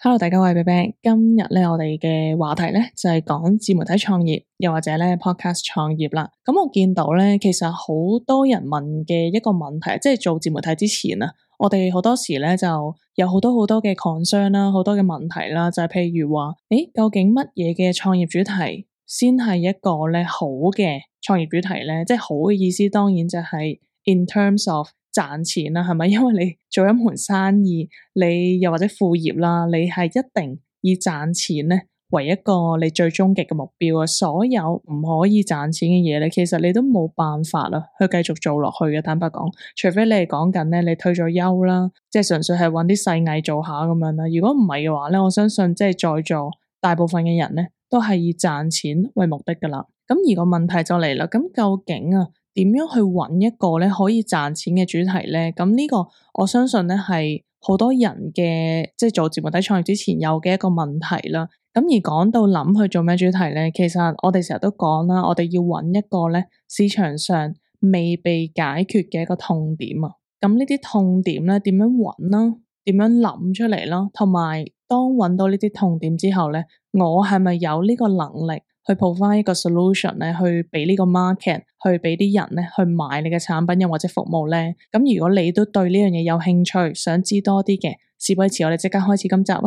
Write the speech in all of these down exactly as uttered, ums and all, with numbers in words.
Hello，大家好，我係 B B。今日咧，我哋嘅話題咧就係講自媒體創業，又或者咧 podcast 創業啦。咁我見到咧，其實好多人問嘅一個問題，即係做自媒體之前啊，我哋好多時咧就有好多好多嘅 concern 啦，好多嘅問題啦，就係譬如話，誒，究竟乜嘢嘅創業主題先係一個咧好嘅創業主題咧？即係好嘅意思，當然就係 in terms of賺錢啦，係咪？因為你做一門生意，你又或者副業啦，你係一定以賺錢咧為一個你最終極嘅目標啊！所有唔可以賺錢嘅嘢咧，其實你都冇辦法啦，去繼續做落去嘅。坦白講，除非你係講緊咧，你退咗休啦，即係純粹係搵啲細藝做下咁樣啦。如果唔係嘅話咧，我相信即係在座大部分嘅人咧，都係以賺錢為目的噶啦。咁而個問題就嚟啦，咁究竟啊，點樣去揾一個咧可以賺錢嘅主題咧？咁呢個我相信咧係好多人嘅即係做自媒體創業之前有嘅一個問題啦。咁而講到諗去做咩主題咧，其實我哋成日都講啦，我哋要揾一個咧市場上未被解決嘅一個痛點啊。咁呢啲痛點咧點樣揾啦？點樣諗出嚟啦？同埋當揾到呢啲痛點之後咧，我係咪有呢個能力去 provide 一個 solution 咧，去俾呢個 market，去俾啲人咧去買你嘅產品又或者服務咧？咁如果你都對呢樣嘢有興趣，想知多啲嘅，事不宜遲，我哋即刻開始今集啊！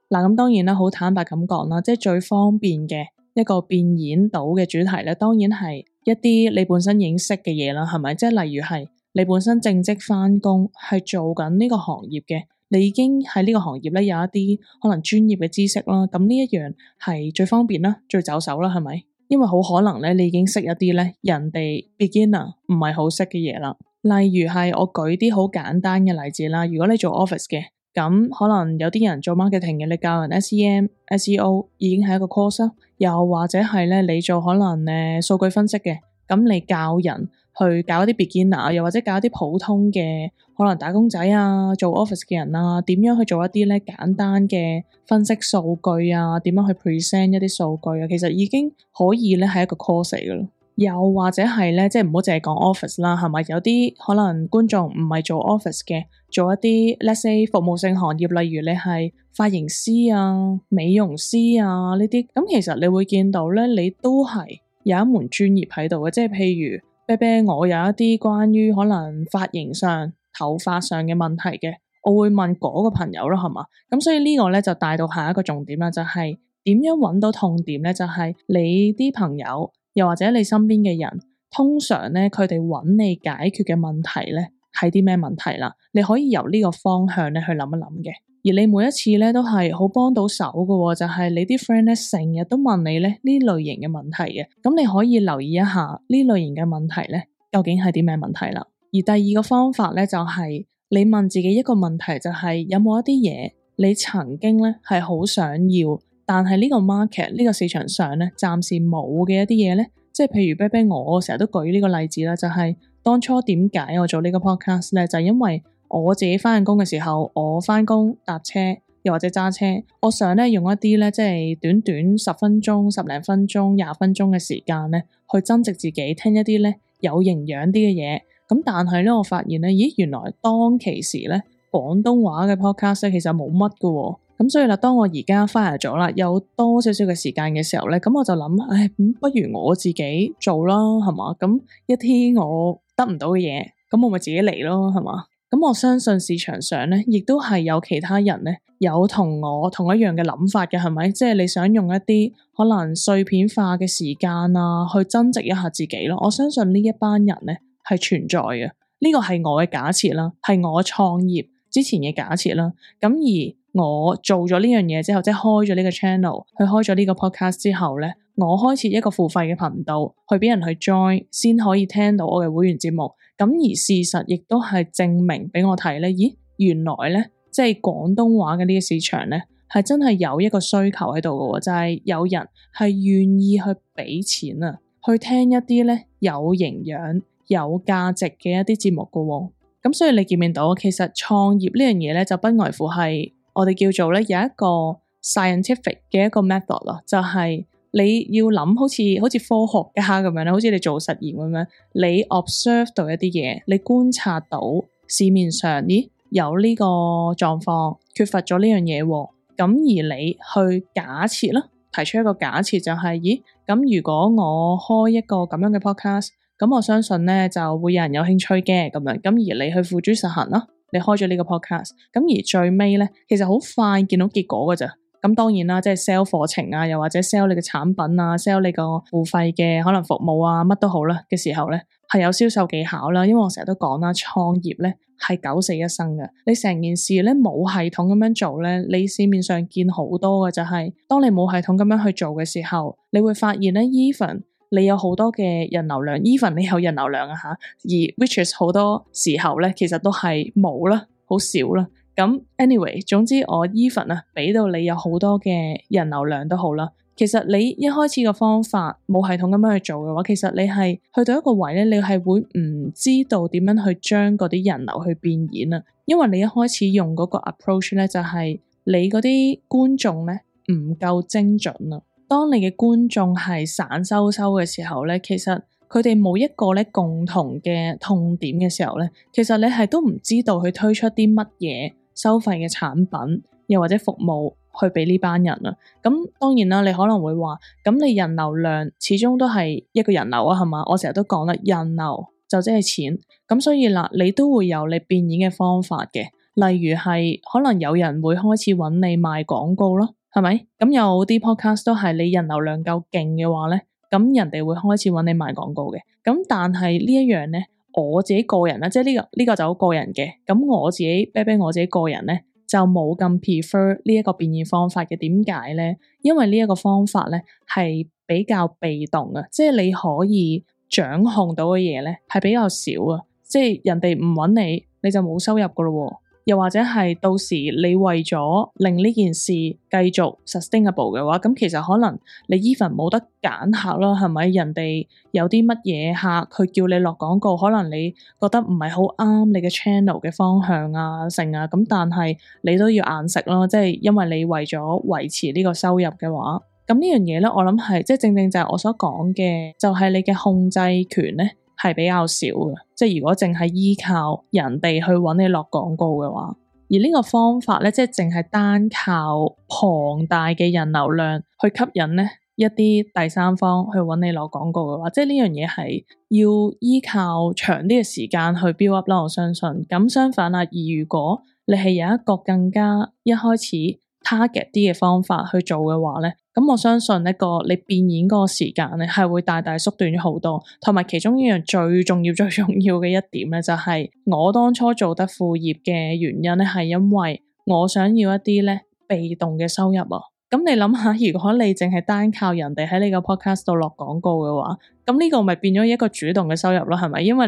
嗱，咁當然啦，好坦白咁講啦，即係最方便嘅一個變現到嘅主題咧，當然係一啲你本身已經識嘅嘢啦，係咪？即係例如係你本身正職返工係做緊呢個行業嘅。你已經喺呢個行業咧有一啲可能專業嘅知識啦，咁呢一樣係最方便啦，最走手啦，係咪？因為好可能咧，你已經識一啲咧人哋 beginner 唔係好識嘅嘢啦。例如係我舉啲好簡單嘅例子啦，如果你做 office 嘅，咁可能有啲人做 marketing 嘅，你教人 S E M、S E O 已經係一個 course 啦，又或者係咧你做可能誒數據分析嘅，咁你教人去搞一啲 beginner，又或者搞一啲普通嘅可能打工仔啊，做 office 嘅人啊，點樣去做一啲咧簡單嘅分析數據啊，點樣去 present 一啲數據啊，其實已經可以咧係一個 course 嚟噶啦。又或者係咧，即係唔好淨係講 office 啦，係咪？有啲可能觀眾唔係做 office 嘅，做一啲 let's say 服務性行業，例如你係髮型師啊、美容師啊呢啲，咁其實你會見到咧，你都係有一門專業喺度嘅，即係譬如啤啤，我有一啲關於可能髮型上、頭髮上嘅問題嘅，我會問嗰個朋友咯，係嘛？咁所以呢個咧就帶到下一個重點啦，就係點樣揾到痛點咧？就係你啲朋友。又或者你身邊嘅人，通常咧佢哋揾你解決嘅問題咧係啲咩問題啦？你可以由呢個方向咧去諗一諗嘅。而你每一次咧都係好幫到手嘅，就係你啲 friend 咧成日都問你咧呢類型嘅問題嘅。咁你可以留意一下呢類型嘅問題咧，究竟係啲咩問題啦？而第二個方法咧就係你問自己一個問題，就係有冇一啲嘢你曾經咧係好想要，但係呢個 market 呢個市場上咧暫時冇嘅一啲嘢咧，即係譬如啤啤我成日都舉呢個例子啦，就係當初點解我做呢個 podcast 咧，就係因為我自己翻緊工嘅時候，我翻工搭車又或者揸車，我想咧用一啲咧即係短短十分鐘、十零分鐘、廿分鐘嘅時間咧，去增值自己，聽一啲咧有營養啲嘅嘢。咁但係咧，我發現咧，咦，原來當其時咧廣東話嘅 podcast 咧其實冇乜㗎喎。咁所以啦，當我而家 fire 咗啦，有多少少嘅時間嘅時候咧，咁我就諗，唉，咁不如我自己做啦，係嘛？咁一啲我得唔到嘅嘢，咁我咪自己嚟咯，係嘛？咁我相信市場上咧，亦都係有其他人咧，有同我同一樣嘅諗法嘅，係咪？即係你想用一啲可能碎片化嘅時間啊，去增值一下自己咯。我相信呢一班人咧係存在嘅，呢個係我嘅假設啦，係我創業之前嘅假設啦。咁而我做咗呢樣嘢之後，即係開咗呢個 channel，去開咗呢個 podcast 之後咧，我開設一個付費嘅頻道，去俾人去 join，先可以聽到我嘅會員節目。咁而事實亦都係證明俾我睇咧，咦，原來咧，即係廣東話嘅呢個市場咧，係真係有一個需求喺度嘅，就係有人係願意去俾錢啊，去聽一啲咧有營養、有價值嘅一啲節目嘅。咁所以你見唔見到，其實創業呢樣嘢咧，就不外乎係我哋叫做咧有一個 scientific 嘅一個 method 咯，就係你要諗好似好似科學家咁樣咧，好似你做實驗咁樣，你 observe 到一啲嘢，你觀察到市面上咦有呢個狀況，缺乏咗呢樣嘢喎，咁而你去假設啦，提出一個假設就係、是、咦咁如果我開一個咁樣嘅 podcast， 咁我相信咧就會有人有興趣嘅咁樣，咁而你去付諸實行啦，你開咗呢個 podcast， 咁而最尾咧其實好快見到結果噶咋。咁當然啦，即係 sell 課程啊，又或者 sell 你嘅產品啊 ，sell 你個付費嘅可能服務啊，乜都好啦嘅時候咧，係有銷售技巧啦。因為我成日都講啦，創業咧係九死一生嘅。你成件事咧冇系統咁樣做咧，你市面上見好多嘅就係、是，當你冇系統咁樣去做嘅時候，你會發現咧 even 你有好多嘅人流量 even 你有人流量啊吓，而 which is 好多時候咧，其實都係冇啦，好少啦。咁 anyway， 總之我 even 啊，俾到你有好多嘅人流量都好啦。其實你一開始個方法冇系統咁樣去做嘅話，其實你係去到一個位咧，你係會唔知道點樣去將嗰啲人流去變現啊。因為你一開始用嗰個 approach 咧，就係你嗰啲觀眾咧唔夠精準啊。當你嘅觀眾係散收收嘅時候咧，其實佢哋冇一個咧共同嘅痛點嘅時候咧，其實你係都唔知道去推出啲乜嘢收費嘅產品，又或者服務去俾呢班人啊。咁當然啦，你可能會話，咁你人流量始終都係一個人流啊，係嘛？我成日都講啦，人流就即係錢。咁所以啦，你都會有你變現嘅方法嘅，例如係可能有人會開始揾你賣廣告咯，係咪？咁有啲 podcast 都係你人流量夠勁嘅話咧，咁人哋會開始揾你賣廣告嘅。咁但係呢一樣咧，我自己個人咧，即係呢個呢個就好個人嘅。咁我自己啤啤我自己個人咧，就冇咁 prefer 呢一個變現方法嘅。點解咧？因為呢一個方法咧係比較被動啊，即係你可以掌控到嘅嘢咧係比較少啊。即係人哋唔揾你，你就冇收入噶咯。又或者係到時你為咗令呢件事繼續 sustainable 嘅話，咁其實可能你 even 冇得揀客啦，係咪？人哋有啲乜嘢客佢叫你落廣告，可能你覺得唔係好啱你嘅 channel 嘅方向啊、成啊，咁但係你都要硬食咯，即係因為你為咗維持呢個收入嘅話，咁呢樣嘢咧，我諗係即係正正就係我所講嘅，就係你嘅控制權咧係比較少嘅。即係如果淨係依靠人哋去揾你落廣告嘅話，而呢個方法咧，即係淨係單靠龐大嘅人流量去吸引咧一啲第三方去揾你落廣告嘅話，即係呢樣嘢係要依靠長啲嘅時間去 build up 啦。我相信咁相反啦，而如果你係有一個更加一開始 target 啲嘅方法去做嘅話咧，咁我相信一個你變現嗰個時間咧係會大大縮短咗好多。同埋其中一樣最重要最重要嘅一點咧，就係我當初做得副業嘅原因咧，係因為我想要一啲咧被動嘅收入啊。咁你諗下，如果你淨係單靠人哋喺你個 podcast 度落廣告嘅話，咁呢個咪變咗一個主動嘅收入咯，係咪？因為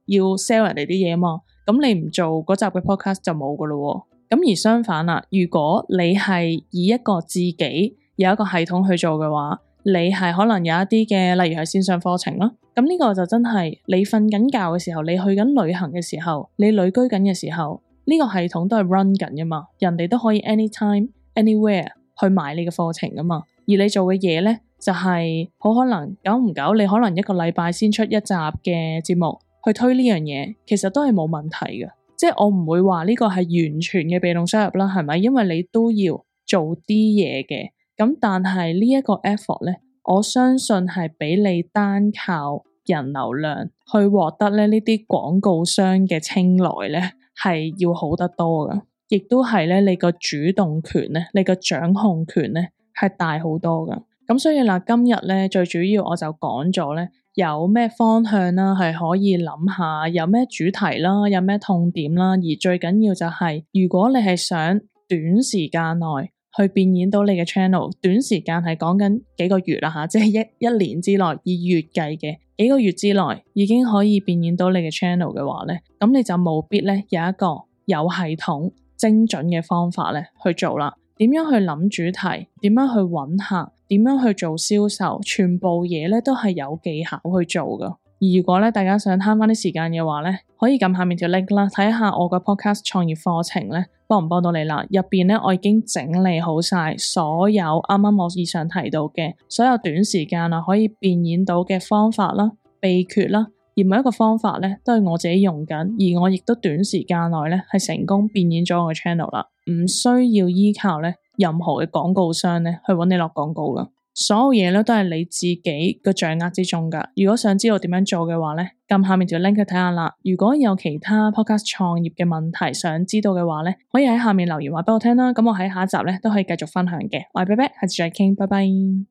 你要 sell 人哋啲嘢嘛，咁你唔做嗰集嘅 podcast 就冇噶咯。咁而相反啦，如果你係以一個自己有一個系統去做嘅話，你係可能有一啲嘅，例如係線上課程咯。咁呢個就真係你瞓緊覺嘅時候，你去緊旅行嘅時候，你旅居緊嘅時候，呢個系統都係 run 緊噶嘛，人哋都可以 anytime anywhere 去買你嘅課程噶嘛。而你做嘅嘢咧，就係好可能久唔久，你可能一個禮拜先出一集嘅節目去推呢樣嘢，其實都係冇問題嘅。即係我唔會話呢個係完全嘅被動收入啦，係咪？因為你都要做啲嘢嘅。咁但係呢一個 effort 咧，我相信係比你單靠人流量去獲得咧呢啲廣告商嘅青睞咧，係要好得多噶。亦都係咧你個主動權咧，你個掌控權咧係大好多噶。咁所以嗱，今日咧最主要我就講咗咧，有咩方向啦，係可以諗下，有咩主題啦，有咩痛點啦，而最緊要就係，如果你係想短時間內去變現到你嘅 channel， 短時間係講緊幾個月啦吓，即係一一年之內以月計嘅幾個月之內已經可以變現到你嘅 channel 嘅話咧，咁你就務必咧有一個有系統精準嘅方法咧去做啦。點樣去諗主題，點樣去揾客，點樣去做銷售，全部嘢咧都係有技巧去做噶。如果咧大家想慳翻啲時間嘅話咧，可以撳下面條 link 啦，睇下我個 podcast 創業課程咧幫唔幫到你啦。入邊咧我已經整理好晒所有啱啱我以上提到嘅所有短時間啊可以變現到嘅方法啦、秘訣啦，而每一個方法咧都係我自己用緊，而我亦都短時間內咧係成功變現咗我嘅 channel 啦，唔需要依靠咧任何嘅廣告商咧去搵你落廣告噶。所有嘢咧都係你自己嘅掌握之中噶。如果想知道點樣做嘅話咧，撳下面條 link 去睇下啦。如果有其他 podcast 創業嘅問題想知道嘅話咧，可以喺下面留言話俾我聽啦。咁我喺下一集咧都可以繼續分享嘅。我係 Bear Bear，下次再傾，拜拜。